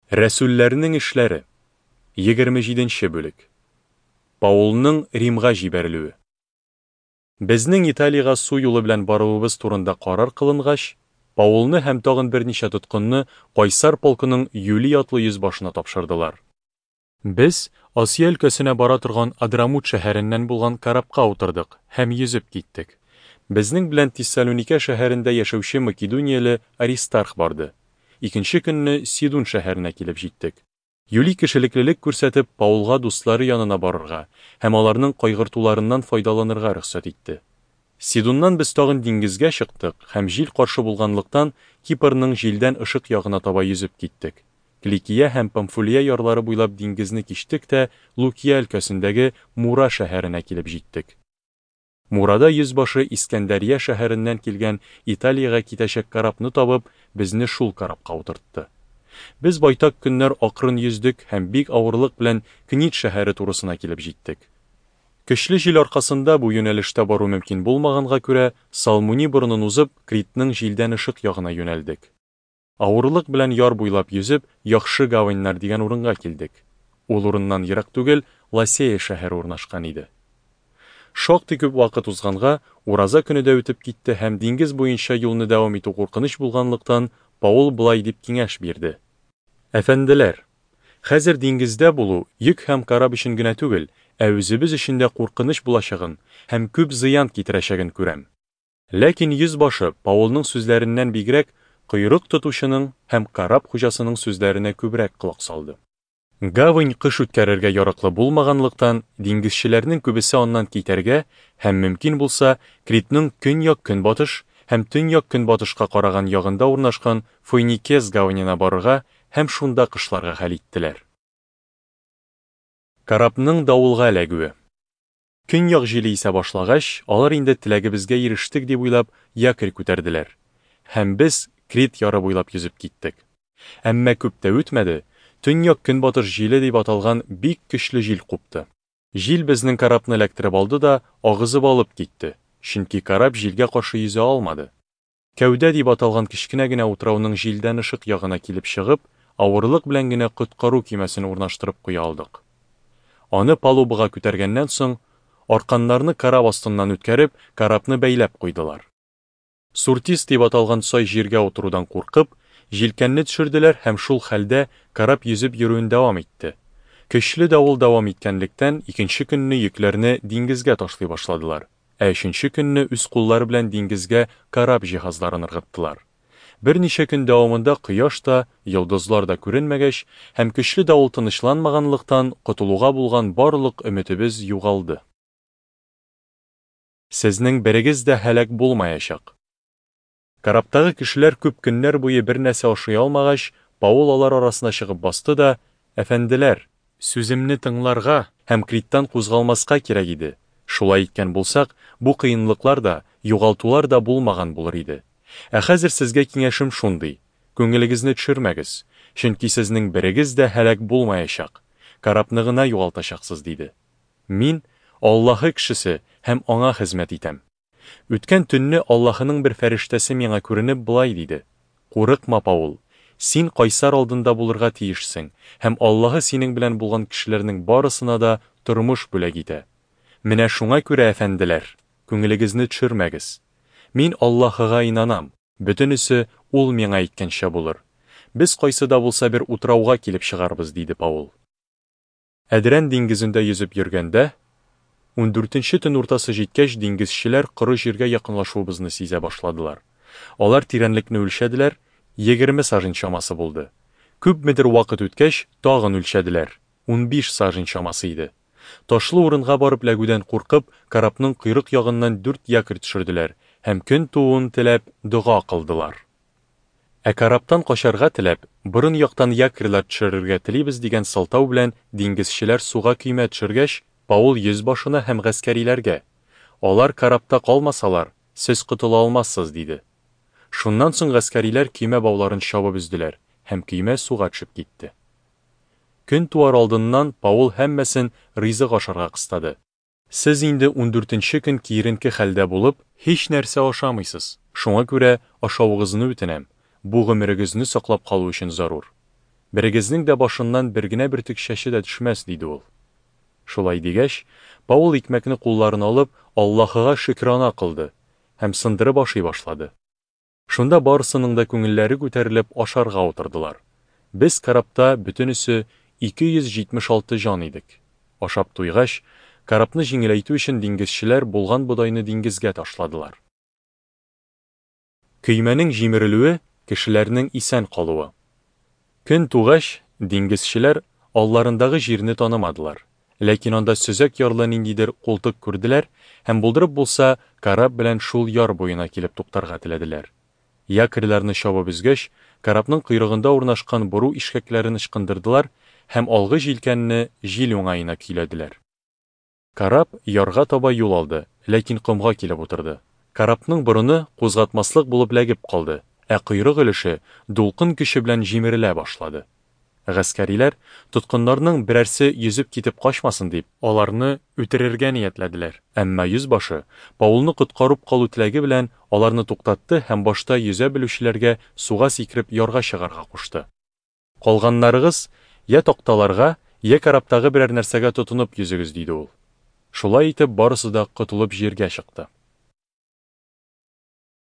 Рәсүлләрнең эшләре, 27 нче бүлек. Паулның Римга җибәрелүе. Безнең Италиягә су юлы белән баруыбыз турында карар кылынгач, Паулны һәм тагын берничә тоткынны Кайсар полкының Юлий атлы йөзбашына тапшырдылар. Без Асия өлкәсенә бара торган Адрамут шәһәреннән булган корабка утырдык һәм йөзеп киттек. Безнең белән Тессалуникә шәһәрендә яшәүче македонияле Аристарх барды. Икенче көнне Сидун шәһәренә килеп җиттек. Юлий кешелеклелек күрсәтеп, Паулга дуслары янына барырга һәм аларның кайгыртуларыннан файдаланырга рөхсәт итте. Сидуннан без тагын диңгезгә чыктык һәм җил каршы булганлыктан, Кипрның җилдән ышык ягына таба йөзеп киттек. Кликия һәм Памфулия ярлары буйлап диңгезне кичтек тә Лукия өлкәсендәге Мура шәһәренә килеп җиттек. Мурада йөзбашы Искәндәрия шәһәреннән килгән Италиягә китәчәк корабны табып, безне шул корабка утыртты. Без байтак көннәр акрын йөздек һәм бик авырлык белән Книд шәһәре турысына килеп җиттек. Көчле җил аркасында бу юнәлештә бару мөмкин булмаганга күрә, Салмуни борынын узып, Критның җилдән ышык ягына юнәлдек. Авырлык белән яр буйлап йөзеп, Яхшы гаваньнар дигән урынга килдек. Ул урыннан ерак түгел Ласея шәһәре урнашкан иде. Шактый күп вакыт узганга, ураза көне дә үтеп китте һәм диңгез буенча юлны дәвам итү куркыныч булганлыктан, Паул болай дип киңәш бирде. Әфәнделәр! Хәзер диңгездә булу йөк һәм кораб өчен генә түгел, ә үзебез өчен дә куркыныч булачагын һәм күп зыян китерәчәген күрәм. Ләкин йөзбашы, Паулның сүзләреннән бигрәк, койрык тотучының һәм кораб хуҗасының сүзләренә күбрәк колак салды. Гавань кыш үткәрергә яраклы булмаганлыктан, диңгезчеләрнең күбесе аннан китәргә һәм, мөмкин булса, Критның көньяк-көнбатыш һәм төньяк-көнбатышка караган ягында урнашкан Фойникес гаванена барырга һәм шунда кышларга хәл иттеләр. Корабның давылга эләгүе. Көньяк җиле исә башлагач, алар инде теләгебезгә ирештек дип уйлап, якорь күтәрделәр. Һәм без Крит яры буйлап йөзеп киттек. Әмма күп тә үтмәде, төньяк-көнбатыш җиле дип аталган бик көчле җил купты. Җил безнең корабны эләктереп алды да агызып алып китте, чөнки кораб җилгә каршы йөзә алмады. Кәүдә дип аталган кечкенә генә утрауның җилдән ышык ягына килеп чыгып, авырлык белән генә коткару көймәсен урнаштырып куя алдык. Аны палубага күтәргәннән соң, арканнарны кораб астыннан үткәреп, корабны бәйләп куйдылар. Суртис дип аталган сай җиргә утырудан куркып, җилкәнне төшерделәр һәм шул хәлдә кораб йөзеп йөрүен дәвам итте. Көчле давыл дәвам иткәнлектән, икенче көнне йөкләрне диңгезгә ташлый башладылар. Ә өченче көнне үз куллары белән диңгезгә кораб җиһазларын ыргыттылар. Берничә көн дәвамында кояш та, йолдызлар да күренмәгәч һәм көчле давыл тынычланмаганлыктан, котылуга булган барлык өметебез югалды. Сезнең берегез дә һәлак булмаячак. Корабтагы кешеләр күп көннәр буе бернәрсә ашый алмагач, Паул алар арасына чыгып басты да, Әфәнделәр! Сүземне тыңларга һәм Криттан кузгалмаска кирәк иде, шулай иткән булсак, бу кыенлыклар да, югалтулар да булмаган булыр иде. Ә хәзер сезгә киңәшем шундый, күңелегезне төшермәгез, чөнки сезнең берегез дә һәлак булмаячак, корабны гына югалтачаксыз, диде. Мин, Аллаһы кешесе һәм Аңа хезмәт итәм. Үткән төнне Аллаһының бер фәрештәсе миңа күренеп болай диде, Курыкма, Паул, син кайсар алдында булырга тиешсең, һәм Аллаһы синең белән булган кешеләрнең барысына да тормыш бүләк итә. Менә шуңа күрә, әфәнделәр, күңелегезне төшермәгез. Мин Аллаһыга инанам, бөтенесе Ул миңа әйткәнчә булыр. Без кайсы да булса бер утрауга килеп чыгарбыз, диде Паул. Әдрән диңгезендә йөзеп йөргәндә, ундүртенче төн уртасы җиткәч, диңгезчеләр коры җиргә якынлашуыбызны сизә башладылар. Алар тирәнлекне үлчәделәр, 20 сажень чамасы булды. Күпмедер вакыт үткәч, тагын үлчәделәр, 15 сажень чамасы иде. Ташлы урынга барып эләгүдән куркып, корабның койрык ягыннан дүрт якорь төшерделәр һәм көн тууын теләп, дога кылдылар. Ә корабтан качарга теләп, борын яктан якорьлар төшерергә телибез дигән сылтау белән диңгезчеләр суга көймә төшергәч, Паул йөзбашына һәм гаскәриләргә, Алар корабта калмасалар, сез котыла алмассыз, диде. Шуннан соң гаскәриләр көймә бауларын чабып өзделәр, һәм көймә суга төшеп китте. Көн туар алдыннан Паул һәммәсен ризык ашарга кыстады. Сез инде ундүртенче көн киеренке хәлдә булып, һичнәрсә ашамыйсыз, шуңа күрә ашавыгызны үтенәм, бу гомерегезне саклап калу өчен зарур. Берегезнең дә башыннан бер генә бөртек чәче дә төшмәс, диде ул. Шулай дигәч, Паул икмәкне кулларына алып, Аллаһыга шөкрана кылды һәм сындырып ашый башлады. Шунда барысының да күңелләре күтәрелеп ашарга утырдылар. Без корабта бөтенесе 276 җан идек. Ашап туйгач, корабны җиңеләйтү өчен диңгезчеләр булган бодайны диңгезгә ташладылар. Көймәнең җимерелүе, кешеләрнең исән калуы. Көн тугач, диңгезчеләр алларындагы җирне танымадылар. Ләкин анда сөзәк ярлы ниндидер култык күрделәр һәм булдырып булса, кораб белән шул яр буена килеп туктарга теләделәр. Якорьларны чабып өзгәч, корабның койрыгында урнашкан бору ишкәкләрен ычкындырдылар һәм алгы җилкәнне җил уңаена көйләделәр. Кораб ярга таба юл алды, ләкин комга килеп утырды. Корабның борыны кузгатмаслык булып ләгеп калды, ә койрык өлеше дулкын көче белән җимерелә башлады. Гаскәриләр, тоткыннарның берәрсе йөзеп китеп качмасын дип, аларны үтерергә ниятләделәр. Әмма йөзбашы, Паулны коткарып калу теләге белән, аларны туктатты һәм башта йөзә белүчеләргә суга сикереп ярга чыгарга кушты. Калганнарыгыз йә такталарга, йә корабтагы берәр нәрсәгә тотынып йөзегез, диде ул. Шулай итеп, барысы да котылып җиргә чыкты.